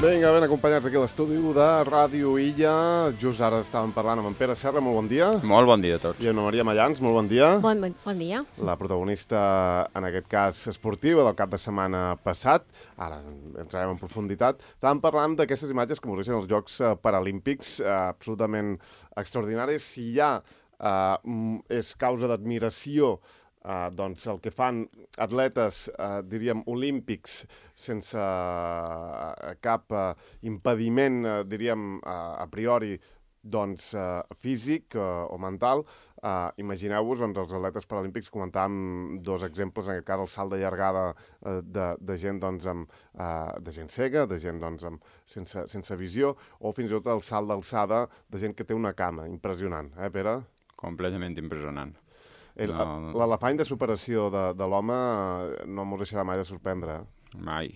Vinga, ben acompanyats aquí a l'estudi de Ràdio Illa. Just ara estàvem parlant amb en Pere Serra, molt bon dia. Molt bon dia a tots. I Anna Maria Mallans, molt bon dia. Bon dia. La protagonista, en aquest cas, esportiva del cap de setmana passat. Ara entrarem en profunditat. Estàvem parlant d'aquestes imatges que mostren els Jocs Paralímpics, absolutament extraordinaris. Si ja és causa d'admiració doncs el que fan atletes, diríem, olímpics sense cap impediment, diríem, a priori, doncs, físic o mental. Imagineu-vos, doncs, els atletes paralímpics, comentàvem dos exemples, en aquest cas el salt de llargada de gent, doncs, de gent cega, de gent, doncs, sense visió, o fins i tot el salt d'alçada de gent que té una cama. Impressionant, Pere? Completament impressionant. L'elefant de superació de l'home no ens deixarà mai de sorprendre. Mai.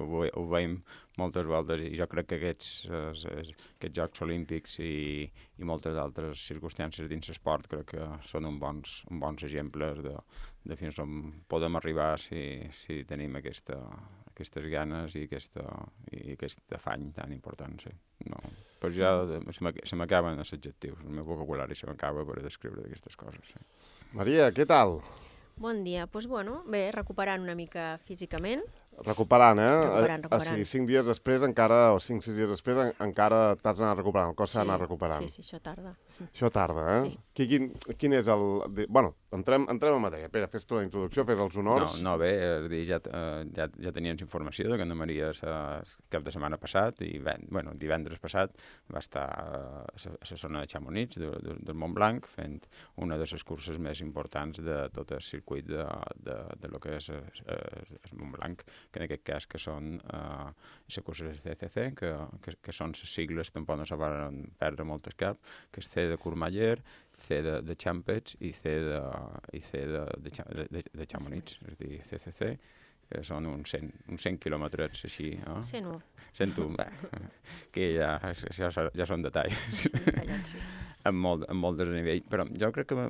Ho veiem moltes voltes i jo crec que aquests Jocs Olímpics i moltes altres circumstàncies dins l'esport crec que són uns bons exemples de fins on podem arribar si tenim aquestes ganes i aquest afany tan important. Sí. No. Però ja se m'acaben els adjectius, el meu vocabulari se m'acaba per descriure aquestes coses. Sí. Maria, què tal? Bon dia. Doncs, bé, recuperant una mica físicament. Recuperant, Recuperant. O sigui, 5 dies després encara, o 5-6 dies després encara t'has anat recuperant, el cos s'ha anat recuperant. Sí, això tarda. Això tarda, Sí. Quin és el... Bueno, entrem en matèria. Pere, fes tu la introducció, fes els honors. No, bé, és dir, ja teníem informació de que Anna Maria cap de setmana passat i, divendres passat va estar a la zona de Chamonix, del Mont Blanc, fent una de les curses més importants de tot el circuit de lo que és el Mont Blanc, que en aquest cas que són les curses de CCC, que són les sigles, tampoc no se van perdre molt el cap, que és C de Courmayeur, C de Champets i C de Chamonix, és a dir, CCC, que són uns 100 quilòmetres així. 101. 101, que ja són detalls. Sí, detallats, sí. Amb molt desnivell, però jo crec que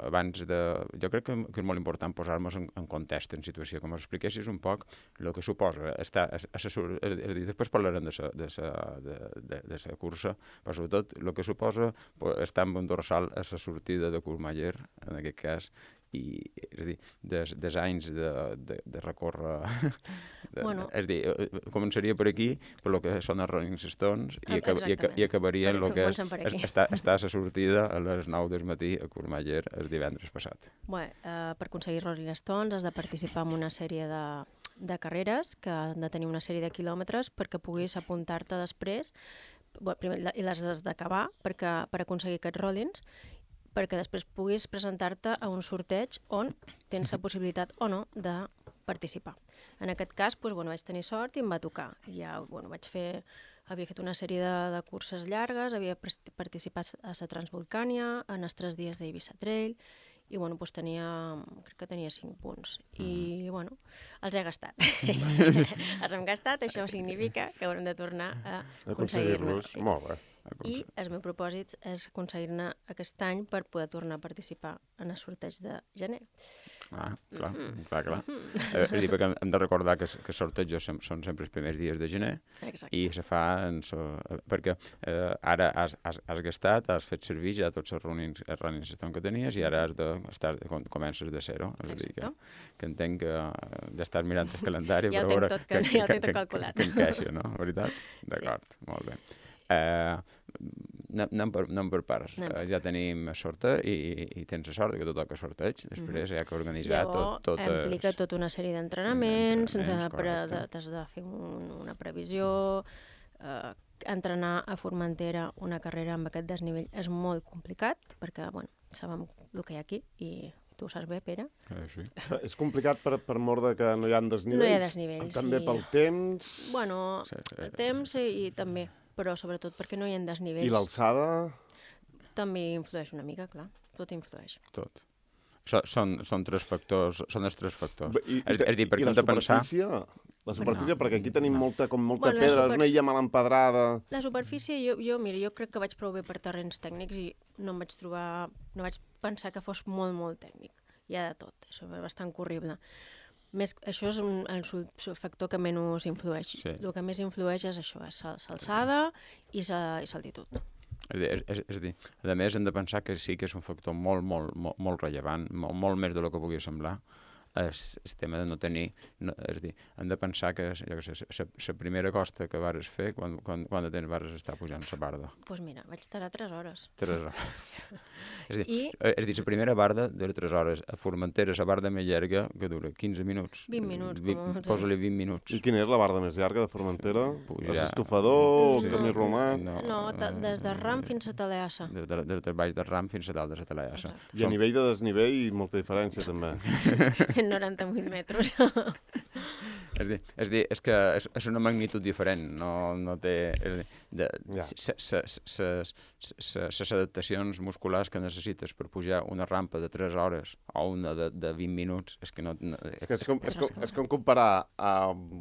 abans de... Jo crec que és molt important posar-nos en context, en situació, com us expliquessis un poc el que suposa estar... Després parlarem de la cursa, però sobretot el que suposa estar en un dorsal a la sortida de Courmayeur, en aquest cas, i és a dir, des anys de recórrer és a dir, començaria per aquí per el que són els Rolling Stones i acabaria en el que és estar a la sortida a les 9 del matí a Courmayeur el divendres passat. Per aconseguir Rolling Stones has de participar en una sèrie de carreres que han de tenir una sèrie de quilòmetres perquè puguis apuntar-te després i les has d'acabar per aconseguir aquests Rollings, perquè després puguis presentar-te a un sorteig on tens la possibilitat o no de participar. En aquest cas, vaig tenir sort i em va tocar. Ja, havia fet una sèrie de curses llargues, havia participat a la Transvolcània, en els 3 dies d'Eivissa Trail, i crec que tenia 5 punts. I, els he gastat. Els hem gastat, això significa que haurem de tornar a aconseguir-los. Sí. Molt bé. I el meu propòsit és aconseguir-ne aquest any per poder tornar a participar en el sorteig de gener. Clar. És a dir, perquè hem de recordar que els sortejos són sempre els primers dies de gener. Exacte. I se fa perquè ara has gastat, has fet servir ja tots els running stone que tenies i ara comences de zero. És a dir, que entenc que ja estàs mirant el calendari ja per veure ja ho tinc tot calculat. Que encaixa, no? Veritat? D'acord, molt bé. Anem per parts. Ja tenim sorteig i tens la sort que tot toca sorteig. Després hi ha que organitzar tot. Implica tota una sèrie d'entrenaments, t'has de fer una previsió, entrenar a Formentera una carrera amb aquest desnivell és molt complicat, perquè, sabem el que hi ha aquí i tu ho saps bé, Pere. Sí. És complicat per mort de que no hi ha desnivells? No hi ha desnivells, també pel temps? El temps i també, però sobretot perquè no hi ha desnivells. I l'alçada? També influeix una mica, clar. Tot influeix. Tot. Són els 3 factors. És dir, perquè hem de pensar... La superfície, perquè aquí tenim molta pedra, és una illa mal empedrada... La superfície, jo crec que vaig prou bé per terrenys tècnics i no vaig pensar que fos molt, molt tècnic. Hi ha de tot, això és bastant corrible. Això és el factor que menys influeix. Sí. El que més influeix és això, és l'alçada i l'altitud. És a dir, a més hem de pensar que sí que és un factor molt, molt, molt, molt rellevant, molt més del que pugui semblar, el tema de no tenir... És a dir, hem de pensar que la primera costa que vares fer, quan de temps vares estar pujant la barda? Doncs mira, vaig estar 3 hores. 3 hores. És a dir, la primera barda dura 3 hores. A Formentera, la barda més llarga, que dura 15 minuts. 20 minuts. Posa-li 20 minuts. I quina és la barda més llarga de Formentera? Pujar... Estofador, camí romà? No, des de Ram fins a Teleassa. Des de baix de Ram fins a dalt de la Teleassa. I a nivell de desnivell, molta diferència, també. 198 metres. És que és una magnitud diferent, no té... Les adaptacions musculars que necessites per pujar una rampa de 3 hores o una de 20 minuts, és que no... És com comparar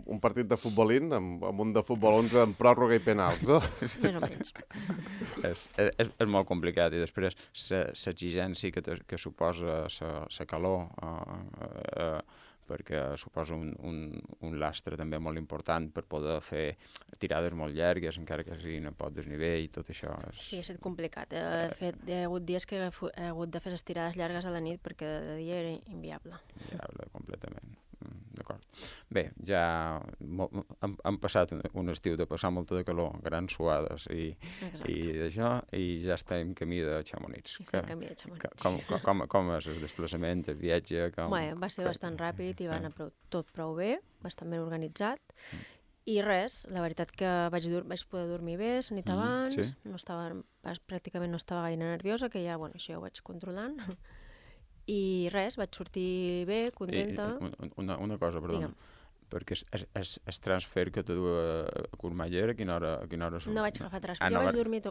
un partit de futbolín amb un de futbol 11 amb pròrroga i penals, no? Més o menys. És molt complicat, i després l'exigència que suposa la calor, perquè suposa un lastre també molt important per poder fer tirades molt llargues, encara que siguin a poc desnivell i tot això. Sí, ha estat complicat. Hi ha hagut dies que he hagut de fer les tirades llargues a la nit perquè de dia era inviable. Inviable, completament. D'acord. Bé, ja hem passat un estiu de passar molta de calor, grans suades i d'això, i ja estem en camí de Chamonix. Com és el desplaçament, el viatge? Va ser bastant ràpid i va anar tot prou bé, bastant ben organitzat. I res, la veritat que vaig poder dormir bé la nit abans, pràcticament no estava gaire nerviosa, que ja, això ja ho vaig controlant. I res, vaig sortir bé, contenta. Una cosa, perdona, perquè el transfer que te du a Courmayeur, a quina hora No vaig agafar transfer, jo vaig dormir a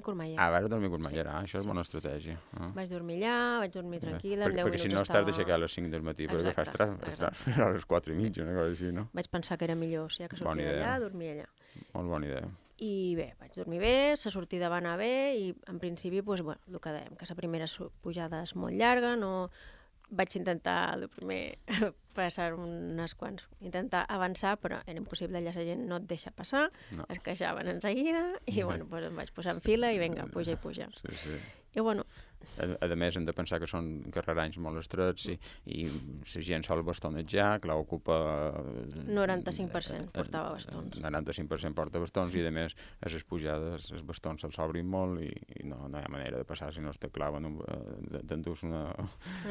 Courmayeur. Vas dormir a Courmayeur, això és bona estratègia. Vaig dormir allà, vaig dormir tranquil·la, en 10 minuts estava... Perquè si no estàs d'aixecar a les 5 del matí, perquè fas transfer a les 4 i mitja, una cosa així, no? Vaig pensar que era millor, ja que sortia d'allà, dormir allà. Molt bona idea. I bé, vaig dormir bé, la sortida va anar bé i en principi, el que dèiem, que la primera pujada és molt llarga, no... Vaig intentar, el primer, passar intentar avançar, però era impossible, allà la gent no et deixa passar, es queixaven en seguida, i em vaig posar en fila i vinga, puja i puja. Sí. I a més, hem de pensar que són carreranys molt estrets i la gent sol bastonejar, clar, ocupa... 95% portava bastons. 95% porta bastons i, a més, a les pujades els bastons se'ls obrin molt i no hi ha manera de passar si no es te claven, t'endús una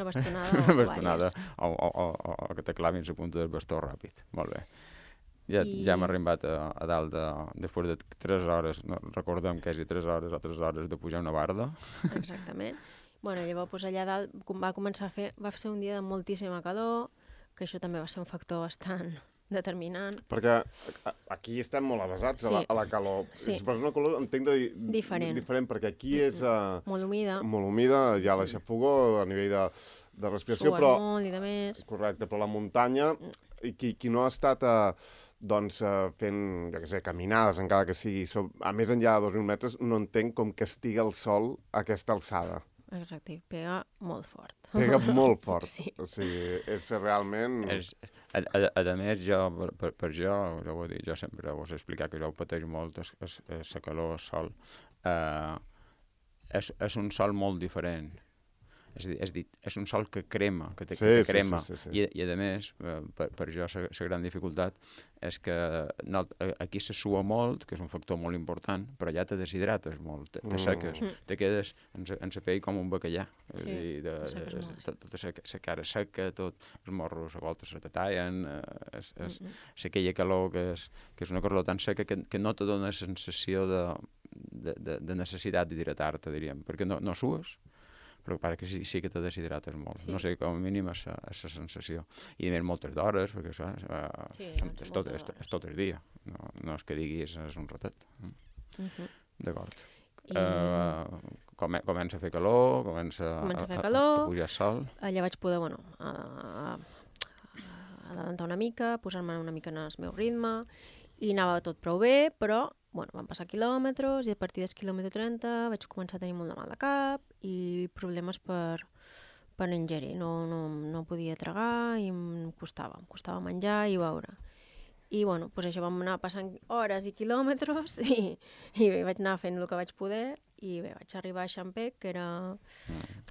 bastonada o que te clavin la punta del bastó ràpid. Molt bé. Ja hem arribat a dalt després de 3 hores, no recordem quasi 3 hores o 3 hores de pujar una barda. Exactament. Llavors allà dalt va ser un dia de moltíssima calor, que això també va ser un factor bastant determinant. Perquè aquí estem molt avasats a la calor. Però és una calor, entenc, diferent, perquè aquí és... Molt humida. Molt humida, hi ha l'aixafogó a nivell de respiració, però... Sues molt i de més. Correcte, però la muntanya, i qui no ha estat... fent, jo què sé, caminades, encara que sigui a més enllà de 2.000 metres, no entenc com castiga el sol a aquesta alçada. Exacte, pega molt fort. Pega molt fort. Sí. O sigui, és realment... A més, per jo ho he dit, jo sempre us he explicat que jo ho pateix molt, la calor, el sol. És un sol molt diferent. És a dir, és un sol que crema, que crema. Sí. I a més, per jo, la gran dificultat és que aquí se sua molt, que és un factor molt important, però allà te deshidrates molt, te seques, te quedes en la pell com un bacallà. Tota la cara seca, tot, els morros a voltes se te tallen, és aquella calor que és una calor tan seca que no te dona sensació de necessitat d'hidratar-te, diríem, perquè no sues, però pare que sí que te deshidrates molt. Sí. No sé, com a mínim és la sensació. I a més moltes d'hores, perquè això és tot el dia. No és que diguis és un ratet. D'acord. Comença a fer calor, comença a pujar el sol. Allà vaig poder, adelantar una mica, posar-me una mica en el meu ritme, i anava tot prou bé, però van passar quilòmetres i a partir del quilòmetre 30 vaig començar a tenir molt de mal de cap i problemes per per ingerir. No podia tragar i em costava menjar i beure. I bueno, doncs això vam anar passant hores i quilòmetres i bé, vaig anar fent el que vaig poder i bé, vaig arribar a Xampec, que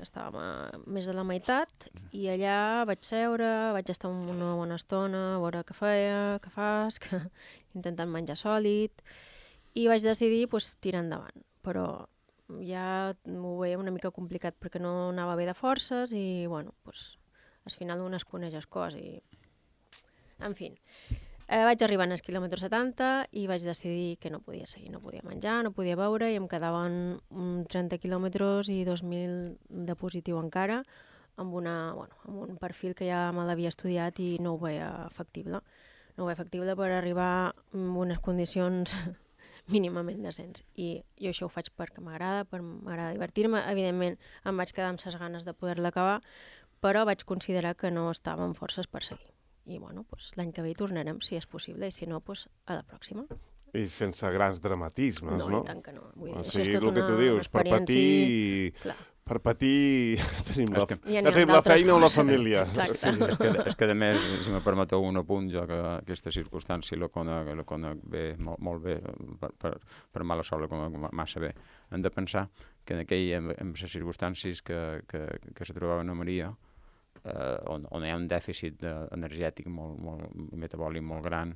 estàvem a més de la meitat, i allà vaig seure, vaig estar una bona estona, a veure què feia, què fas, intentant menjar sòlid, i vaig decidir tirar endavant. Però ja ho veia una mica complicat perquè no anava bé de forces i, bueno, al final un es coneix les coses i... En fi, vaig arribar als quilòmetres 70 i vaig decidir que no podia seguir, no podia menjar, no podia beure i em quedaven 30 quilòmetres i 2.000 de positiu encara amb un perfil que ja me l'havia estudiat i no ho veia factible. No ho veia factible per arribar en unes condicions mínimament decents. I jo això ho faig perquè m'agrada divertir-me. Evidentment em vaig quedar amb les ganes de poder-la acabar, però vaig considerar que no estava amb forces per seguir. I bueno, l'any que ve hi tornarem, si és possible, i si no, a la pròxima. I sense grans dramatismes, no? No, i tant que no. Vull dir, això és tot el que tu dius, per patir tenim la feina o la família. És que a més, si me permeteu un apunt, jo que aquesta circumstància la conec bé, molt bé, per mala sort la conec massa bé. Hem de pensar que en les circumstàncies que se trobava a Maria, on hi ha un dèficit energètic metabòlic molt gran,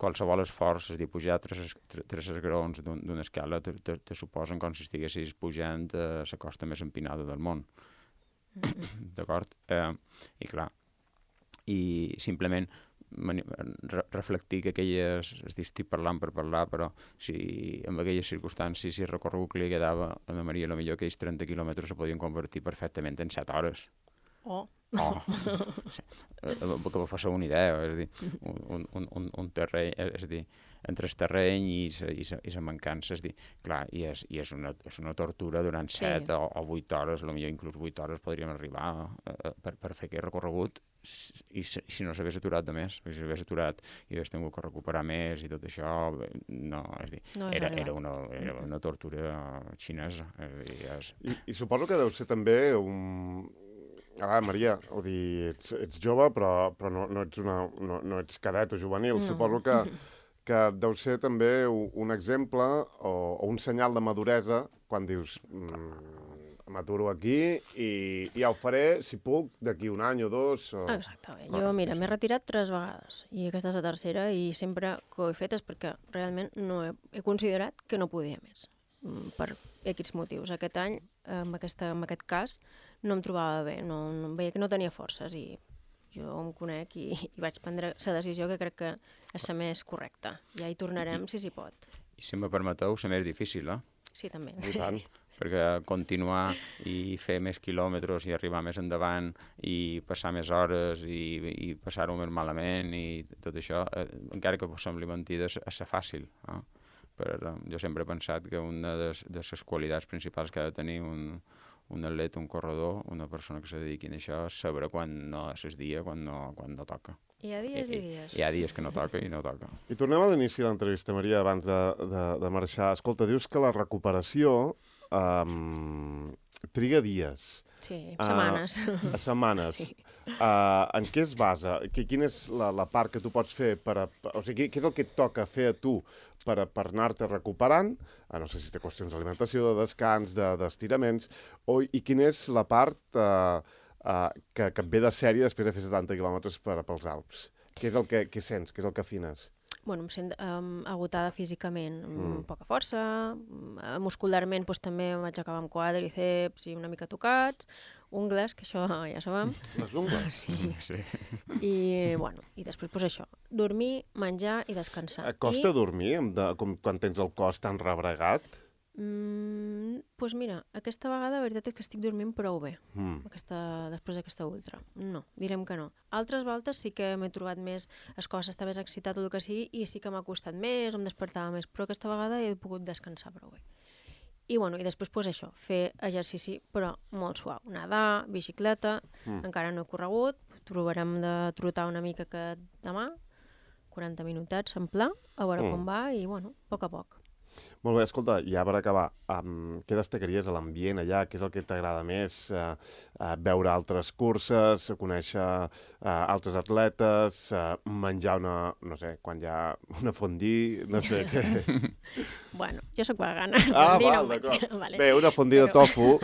qualsevol esforç, és a dir, pujar 3 esgraons d'una escala te suposen com si estiguessis pujant a la costa més empinada del món. D'acord? I clar, i simplement reflectir que estic parlant per parlar, però si en aquelles circumstàncies, si el recorregut que li quedava a la Maria, potser aquells 30 quilòmetres se podien convertir perfectament en 7 hores. Que vos faci una idea, és a dir, un terreny, és a dir, entre el terreny i la mancança, és a dir, clar, i és una tortura durant 7 o 8 hores, potser inclús 8 hores podríem arribar per fer aquest recorregut, i si no s'hagués aturat de més, si s'hagués aturat i hagués tingut que recuperar més i tot això, no, és a dir, era una tortura xinesa. I suposo que deu ser també Maria, ets jove, però no ets cadet o juvenil. No. Suposo que deu ser també un exemple o un senyal de maduresa quan dius m'aturo aquí i ja ho faré, si puc, d'aquí un any o dos. Exactament. Jo, mira, m'he retirat 3 vegades i aquesta és la tercera i sempre que ho he fet és perquè realment no he considerat que no podia més per aquests motius. Aquest any, en aquest cas, no em trobava bé, veia que no tenia forces i jo em conec i vaig prendre la decisió que crec que és la més correcta. Ja hi tornarem si s'hi pot. I si me permeteu, la més difícil, eh? Sí, també. I tant. Perquè continuar i fer més quilòmetres i arribar més endavant i passar més hores i passar-ho més malament i tot això, encara que sembli mentida, és fàcil. Jo sempre he pensat que una de les qualitats principals que ha de tenir un atleta, un corredor, una persona que se dediqui a això, és saber quan no és el dia, quan no toca. Hi ha dies i dies. Hi ha dies que no toca i no toca. I tornem a l'inici de l'entrevista, Maria, abans de marxar. Escolta, dius que la recuperació triga dies. Sí, setmanes. Setmanes. Sí. En què es basa? Quina és la part que tu pots fer o sigui, què és el que et toca fer a tu per anar-te recuperant? No sé si té qüestions d'alimentació, de descans, d'estiraments, i quina és la part que et ve de sèrie després de fer 70 quilòmetres pels Alps? Què és el que sents? Què és el que afines? Bueno, em sent agotada físicament, amb poca força, muscularment també em vaig acabar amb quàdriceps i una mica tocats, ungles, que això ja sabem. Les ungles? Sí. I després això, dormir, menjar i descansar. Et costa dormir quan tens el cos tan rebregat? Doncs mira, aquesta vegada la veritat és que estic dormint prou bé, després d'aquesta ultra. No, direm que no. Altres voltes sí que m'he trobat més, el cos està més excitat o el que sigui, i sí que m'ha costat més, em despertava més, però aquesta vegada he pogut descansar prou bé. I després això, fer exercici, però molt suau. Nedar, bicicleta, encara no he corregut, provarem de trotar una mica demà, 40 minutets en pla, a veure com va, i a poc a poc. Molt bé, escolta, ja per acabar, què destacaries a l'ambient allà? Què és el que t'agrada més? Veure altres curses, conèixer altres atletes, menjar no sé, quan hi ha una fondue, no sé què. Bueno, jo sóc vegana. Val, d'acord. Vale. Bé, una fondue de tofu.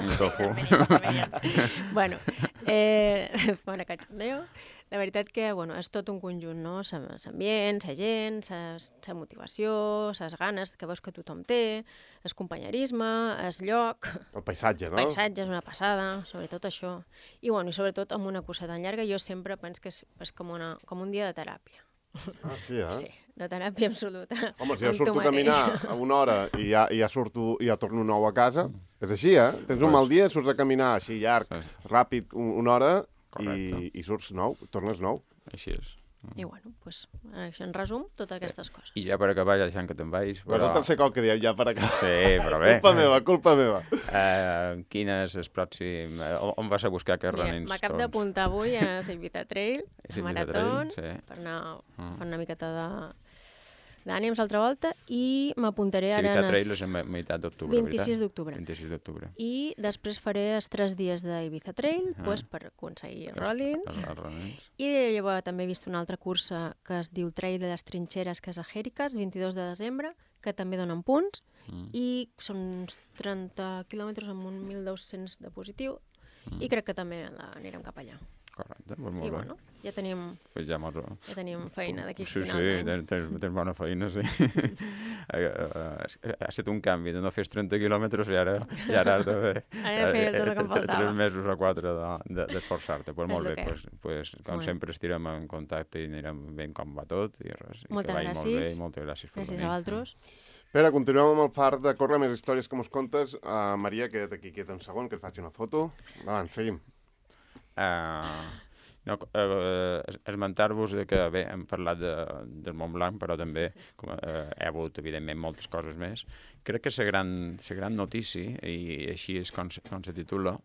Bueno, bona cachondeo. La veritat que, bueno, és tot un conjunt, no? L'ambient, la gent, la motivació, les ganes que veus que tothom té, el companyerisme, el lloc... El paisatge, no? El paisatge és una passada, sobretot això. I, bueno, i sobretot amb una cursa tan llarga, jo sempre penso que és com un dia de teràpia. Ah, sí, eh? Sí, de teràpia absoluta. Home, si jo surto a caminar a una hora i ja surto i ja torno nou a casa, és així, eh? Tens un mal dia, surts a caminar així llarg, ràpid, una hora... I surts nou, tornes nou. Així és. I bueno, doncs, això en resum, totes aquestes coses. I ja per acabar, ja deixant que te'n vagis... Però... És el tercer cop que diem ja per acabar. Sí, però bé. Culpa meva. Quin és el pròxim... On vas a buscar aquests running stones? M'acab d'apuntar avui a la Ibiza Trail, a Maratón, sí. per anar una miqueta d'ànims l'altra volta, i m'apuntaré ara Ibiza Trail és a meitat d'octubre, 26 d'octubre. 26 d'octubre. I després faré els 3 dies d'Ibiza Trail, pues, per aconseguir Rollins. I llavors també he vist una altra cursa que es diu Trail de les Trinxeres, que és a Jèrica, el 22 de desembre, que també donen punts, i són uns 30 quilòmetres amb un 1.200 de positiu, i crec que també anirem cap allà. Correcte, molt bé. I bueno, ja tenim feina d'aquí final d'any. Sí, tens bona feina, sí. Ha estat un canvi de no fer 30 quilòmetres i ara has de fer... Ara fer tot el que em faltava. 3 mesos o 4 d'esforçar-te. Pues molt bé, com sempre estirem en contacte i anirem veient com va tot i res. Moltes gràcies. Moltes gràcies per venir. Gràcies a vosaltres. Espera, continuem amb el far de córrer més històries que mos contes. Maria, queda't aquí quieta un segon, que et faig una foto. Endavant, seguim. Esmentar-vos que, bé, hem parlat del Mont Blanc, però també he hagut, evidentment, moltes coses més. Crec que la gran notícia, i així és com se titula,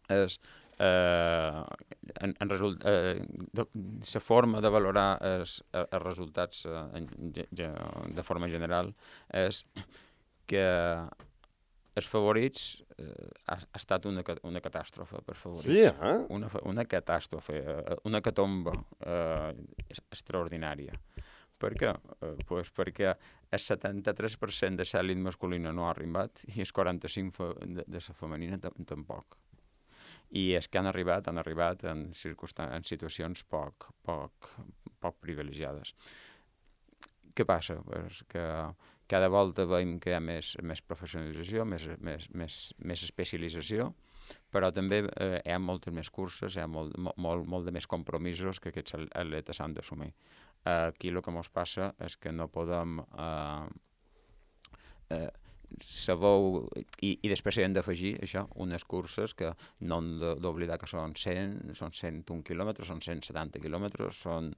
és la forma de valorar els resultats de forma general és que els favorits ha estat una catàstrofe per favorits. Sí, eh? Una catàstrofe, una catomba extraordinària. Per què? Pues perquè el 73% de l'elit masculina no ha arribat i el 45% de la femenina tampoc. I els que han arribat en situacions poc privilegiades. Què passa? Pues que cada volta veiem que hi ha més professionalització, més especialització, però també hi ha moltes més curses, hi ha molt de més compromisos que aquests atletes han d'assumir. Aquí el que ens passa és que no podem... sabeu, i després hem d'afegir això, unes curses que no hem d'oblidar que són 101 quilòmetres, són 170 quilòmetres, són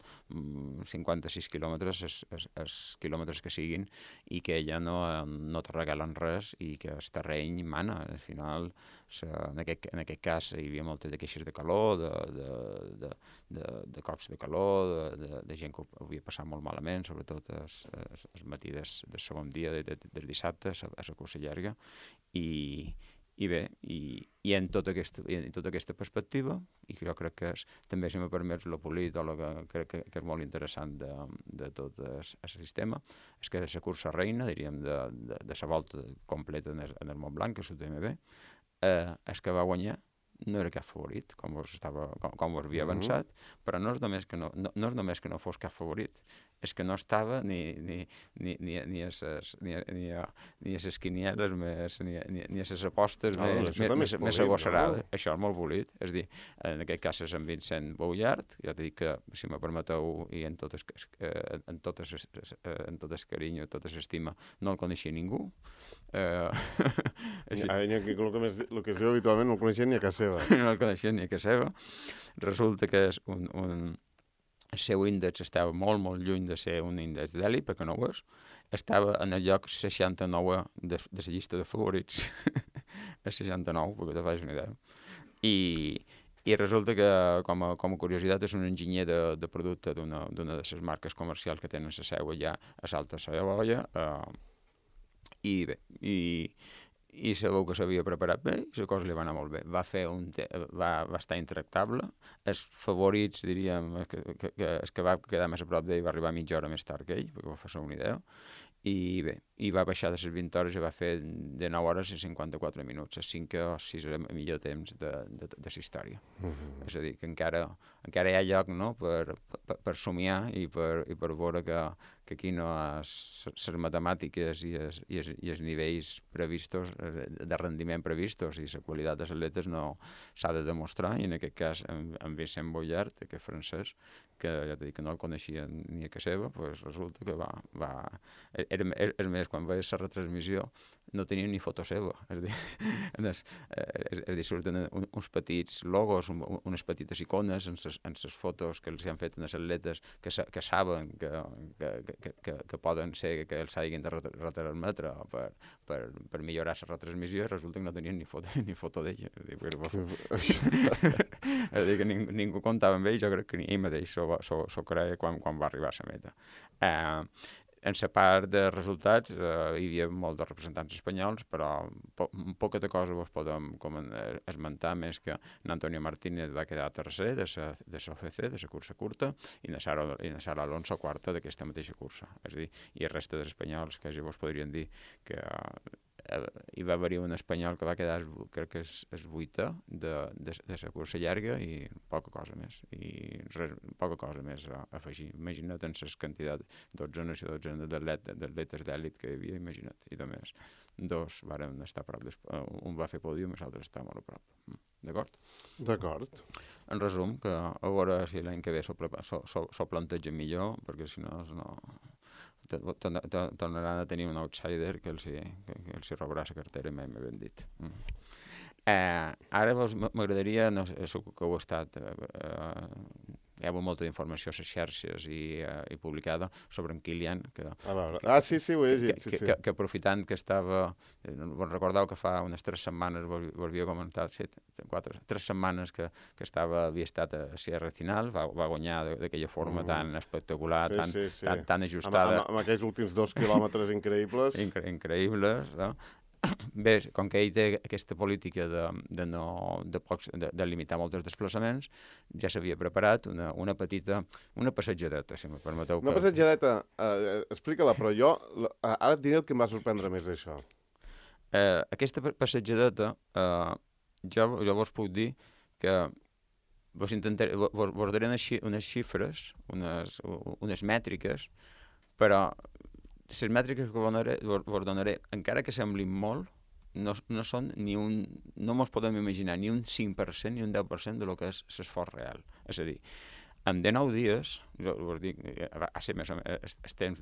56 quilòmetres, els quilòmetres que siguin, i que ja no te regalen res i que el terreny mana. Al final, en aquest cas hi havia moltes de queixes de calor, de cops de calor, de gent que ho havia passat molt malament, sobretot el matí del segon dia, del dissabte, a la cursa llarga, i bé, i en tota aquesta perspectiva, i jo crec que també, si m'ho permets, el polit o el que crec que és molt interessant de tot el sistema, és que de la cursa reina, diríem, de la volta completa en el Mont Blanc, que és l'UTMB, el que va guanyar no era cap favorit, com us havia avançat, però no és només que no fos cap favorit, és que no estava ni a les quinieles ni a les apostes més agosarades. Això és molt bolit. És a dir, en aquest cas és en Vincent Boullard, ja t'he dit que, si me permeteu, i en tot el carinyo, tota l'estima, no el coneixia ningú. El que es diu habitualment no el coneixia ni a casa seva. No el coneixia ni a casa seva. Resulta que és el seu índex estava molt, molt lluny de ser un índex d'èlit, perquè no ho és. Estava en el lloc 69 de la llista de favorits. El 69, perquè te facis una idea. I resulta que, com a curiositat, és un enginyer de producte d'una de les marques comercials que tenen la seu allà a Salta Savoia, i bé, i sabeu que s'havia preparat bé i la cosa li va anar molt bé. Va estar intractable. Els favorits, diríem, el que va quedar més a prop d'ell va arribar mitja hora més tard que ell, perquè va fer una idea, i bé, i va baixar de les 20 hores i va fer de 9 hores i 54 minuts, el 5 o 6 el millor temps de la història. És a dir, que encara hi ha lloc, no?, per somiar i per veure que aquí no les matemàtiques i els nivells previstos, de rendiment previstos i la qualitat dels atletes no s'ha de demostrar, i en aquest cas en Vicent Bollard, aquest francès, que ja t'he dit que no el coneixia ni a casa seva, pues resulta que és més, quan veus la retransmissió no tenia ni foto seva, és a dir, surten uns petits logos, unes petites icones en les fotos que els han fet als atletes que saben que poden ser que els hagin de retransmetre per millorar la retransmissió, i resulta que no tenien ni foto d'ell. És a dir, que ningú comptava amb ell, jo crec que ni ell mateix s'ho creia quan va arribar a la meta. En la part de resultats hi havia molts de representants espanyols, però poca cosa vos podem esmentar més que Antonio Martínez va quedar tercer de l'OCC, de la cursa curta, i na Sara Alonso quarta d'aquesta mateixa cursa. És a dir, i el reste dels espanyols, que ja vos podrien dir que hi va haver un espanyol que va quedar, crec que és vuitè de la cursa llarga, i poca cosa més a afegir. Imagina't en les quantitats, 12 d'atletes d'èlit que hi havia, imagina't, i de més dos varen estar a prop, un va fer pòdium i l'altre està molt a prop. D'acord? En resum, que a veure si l'any que ve s'ho plantegen millor, perquè si no tornaran a tenir un outsider que els robarà la cartera, mai m'he ben dit. Ara m'agradaria, no sé que heu estat, hi ha molta informació a les xarxes i publicada sobre en Kilian, sí, ho he llegit, sí. Que aprofitant que estava, recordeu que fa unes 3 setmanes vos havia comentat, 3 setmanes que havia estat a Sierra Final, va guanyar d'aquella forma tan espectacular, tan ajustada. Amb aquells últims 2 quilòmetres increïbles. Increïbles, no? Bé, com que ell té aquesta política de limitar molts desplaçaments, ja s'havia preparat una passejadeta, si me permeteu. Una passejadeta, explica-la, però jo ara et diré el que em va sorprendre més d'això. Aquesta passejadeta, jo vos puc dir que vos daré unes xifres, unes mètriques, però les mètriques que vos donaré, encara que semblin molt, no són no mos podem imaginar ni un 5% ni un 10% de lo que és l'esforç real. És a dir, en 19 dies, vos dic, ha ser més o menys el temps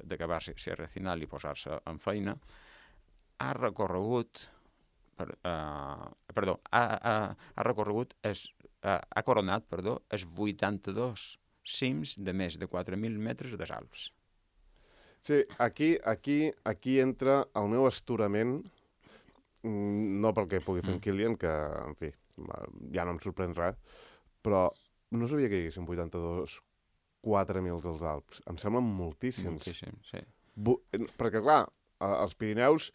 d'acabar Sierra Final i posar-se en feina, ha coronat els 82 cims de més de 4.000 metres dels Alps. Sí, aquí entra el meu astorament, no pel que pugui fer en Kilian, que, en fi, ja no em sorprèn res, però no sabia que hi haguessin 82 4.000 dels Alps. Em semblen moltíssims. Moltíssim, sí. Perquè, clar, els Pirineus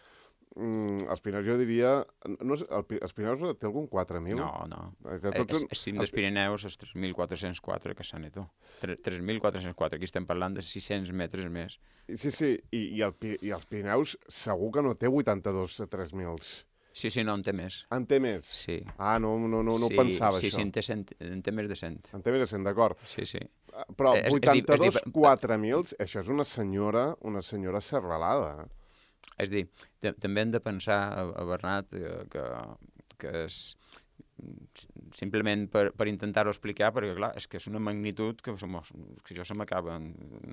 jo diria... Els Pirineus té algun 4.000? No. El cim dels Pirineus és 3.404, que s'ha neto. 3.404, aquí estem parlant de 600 metres més. Sí, i els Pirineus segur que no té 82 a 3.000. Sí, no, en té més. En té més? Sí. No pensava, això. Sí, en té més de 100. En té més de 100, d'acord. Sí. Però 82 4.000, això és una senyora serralada. És a dir, també hem de pensar, Bernat, que és simplement per intentar-ho explicar, perquè clar, és que és una magnitud que jo una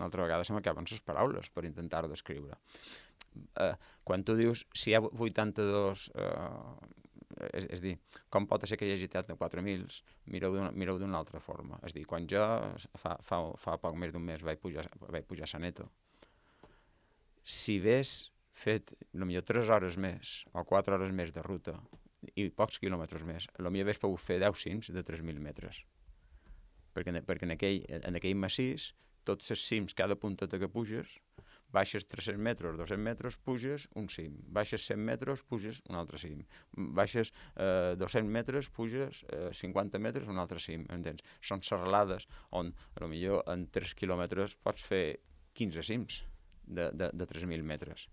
altra vegada se m'acaben les paraules per intentar-ho descriure. Quan tu dius, si hi ha 82, és a dir, com pot ser que hi hagi de 4.000, mireu d'una altra forma. És a dir, quan jo fa poc més d'un mes vaig pujar a Saneto, si hagués fet potser 3 hores més o 4 hores més de ruta i pocs quilòmetres més, potser hagués pogut fer 10 cims de 3.000 metres. Perquè en aquell massís, tots els cims, cada punteta que puges, baixes 300 metres, 200 metres, puges un cim. Baixes 100 metres, puges un altre cim. Baixes 200 metres, puges 50 metres, un altre cim. Entens? Són serralades on, potser en 3 quilòmetres pots fer 15 cims de 3.000 metres.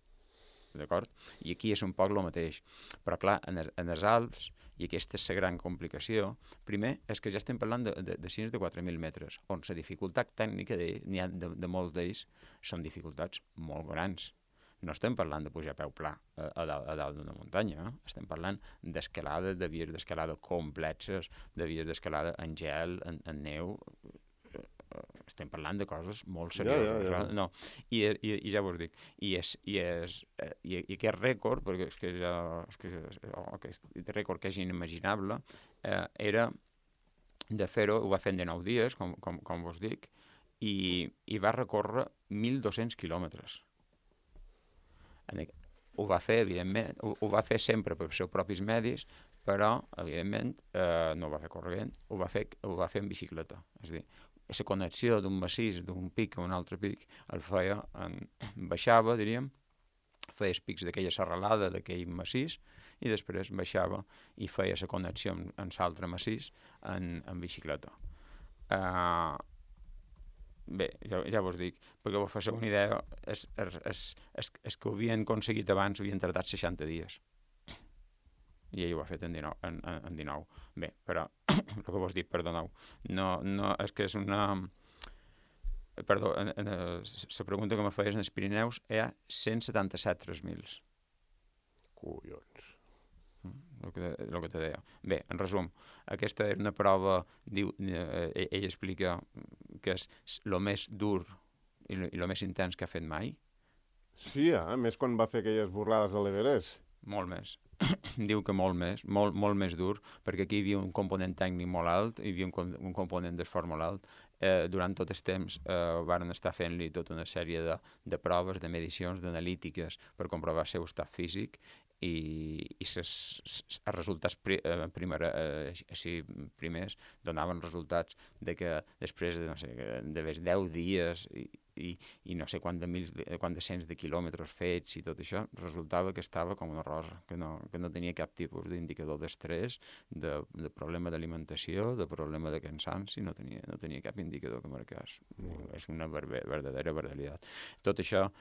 D'acord? I aquí és un poc el mateix. Però, clar, en els Alps, i aquesta és la gran complicació, primer és que ja estem parlant de cims de 4.000 metres, on la dificultat tècnica n'hi ha de molts d'ells són dificultats molt grans. No estem parlant de pujar a peu pla a dalt d'una muntanya, estem parlant d'escalada, de vies d'escalada complexes, de vies d'escalada en gel, en neu. Estem parlant de coses molt serioses. Ja. No. I ja vos dic, i aquest rècord, perquè aquest rècord que és inimaginable, era de fer-ho, ho va fer en 19 dies, com vos dic, i va recórrer 1.200 quilòmetres. Ho va fer, evidentment, ho va fer sempre pels seus propis medis, però, evidentment, no ho va fer corrent, ho va fer en bicicleta. És a dir, la connexió d'un massís, d'un pic a un altre pic, el feia, baixava, diríem, feia els pics d'aquella serralada, d'aquell massís, i després baixava i feia la connexió amb l'altre massís en bicicleta. Bé, ja vos dic, perquè vos faci una idea, els que ho havien aconseguit abans havien tardat 60 dies. I ell ho ha fet en 19. Bé, però, el que vos dic, perdoneu, no, és que és una... Perdó, la pregunta que me feies en els Pirineus hi ha 177 3.000. Collons. El que te deia. Bé, en resum, aquesta és una prova, ell explica que és el més dur i el més intens que ha fet mai. Sí, més quan va fer aquelles burlades a l'Everest. Molt més. Diu que molt més dur, perquè aquí hi havia un component tècnic molt alt, hi havia un component d'esforç molt alt. Durant tot el temps varen estar fent-li tota una sèrie de proves, de medicions, d'analítiques per comprovar el seu estat físic, i els resultats primers donaven resultats de que després de 10 dies i no sé quant de cents de quilòmetres fets i tot això, resultava que estava com una rosa, que no tenia cap tipus d'indicador d'estrès, de problema d'alimentació, de problema de cansanci, no tenia cap indicador que marcés. És una verdadera barbaritat. Tot això,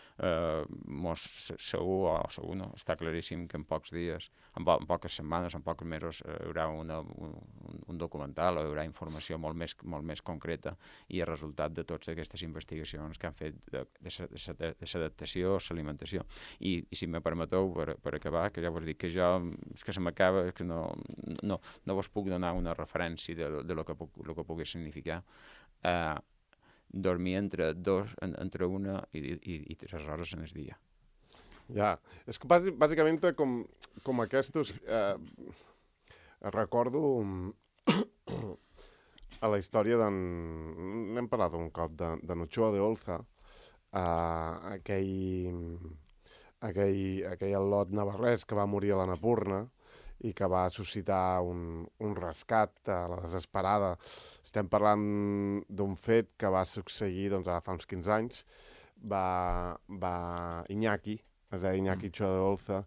segur no, està claríssim que en pocs dies, en poques setmanes, en pocs mesos, hi haurà un documental o hi haurà informació molt més concreta, i el resultat de totes aquestes investigacions que han fet de l'adaptació, l'alimentació. I si me permeteu, per acabar, que ja vos dic que jo, és que se m'acaba, és que no vos puc donar una referència de lo que pugui significar. Dormir entre 1 i 3 hores en el dia. Ja, és que bàsicament com aquests... recordo a la història n'hem parlat un cop, de Ochoa de Olza, aquell al·lot navarrès que va morir a l'Annapurna i que va suscitar un rescat a la desesperada. Estem parlant d'un fet que va succeir ara fa uns 15 anys. Va Iñaki, es deia Iñaki Ochoa de Olza,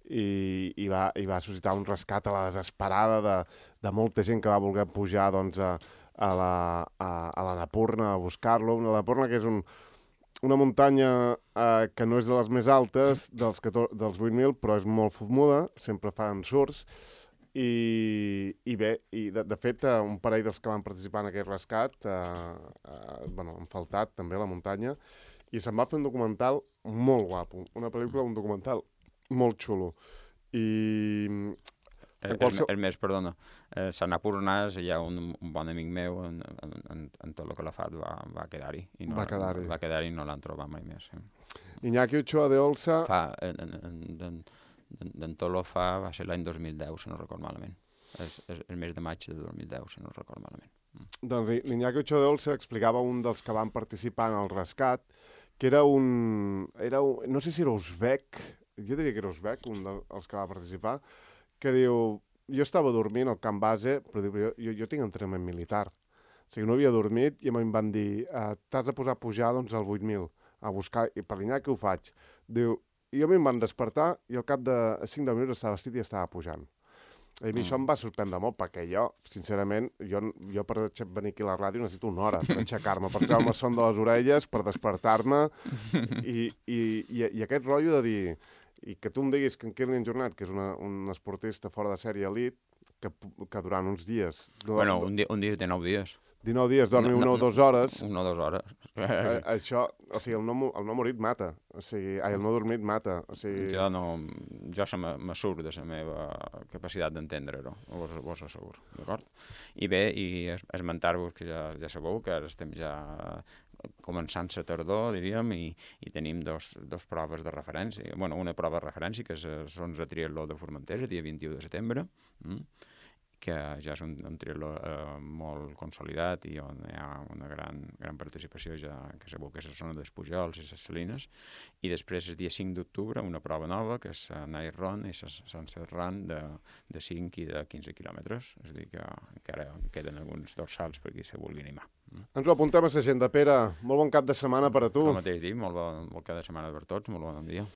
i va suscitar un rescat a la desesperada de molta gent que va voler pujar a l'Annapurna a buscar-lo. L'Annapurna, que és una muntanya que no és de les més altes dels 8.000, però és molt fumuda, sempre fan surts, i de fet un parell dels que van participar en aquest rescat han faltat també a la muntanya, i se'n va fer un documental molt guapo, una pel·lícula, un documental molt xulo. Perdona, s'Annapurna, hi ha un bon amic meu, en tot el que l'ha fet va quedar-hi. Va quedar-hi i no l'han trobat mai més. Iñaki Ochoa de Olza... D'en Tolo va ser l'any 2010, si no record malament. El mes de maig de 2010, si no record malament. Doncs l'Iñaki Ochoa de Olza explicava un dels que van participar en el rescat, que era no sé si era uzbek, jo diria que era uzbek, un dels que va participar, que diu, jo estava dormint al camp base, però diu, jo tinc entrenament militar. O sigui, no havia dormit i em van dir, t'has de posar a pujar al 8.000. a buscar, i per l'Iñaki ho faig. Diu, i a mi em van despertar i al cap de 5 minuts estava vestit i estava pujant. I a mi això em va sorprendre molt, perquè jo, sincerament, jo per venir aquí a la ràdio necessito una hora per aixecar-me, per treure-me el son de les orelles, per despertar-me, i aquest rotllo de dir, i que tu em diguis que en Kilian Jornet, que és un esportista fora de sèrie elit, que durant uns dies... Bueno, un dia té 9 dies. 19 dies, dormi 1 o 2 hores... 1 o 2 hores. Això, o sigui, el no morit mata. O sigui, el no dormit mata. O sigui... Jo me surt de la meva capacitat d'entendre-ho, vos asseguro, d'acord? I bé, i esmentar-vos que ja sabeu que ara estem ja començant la tardor, diríem, i tenim dos proves de referència. Bueno, una prova de referència, que és l'Ons de Triatló de Formentera, dia 21 de setembre, que ja és un triatló molt consolidat i on hi ha una gran participació, ja que sabeu que és la zona dels Pujols i les Salines, i després el dia 5 d'octubre una prova nova, que és la Night Run i la Sunset Run de 5 i de 15 quilòmetres, és a dir que encara queden alguns dorsals per qui se vulgui animar. Ens ho apuntem a l'agenda. Pere, molt bon cap de setmana per a tu. El mateix dia, molt bon cap de setmana per tots, molt bon dia.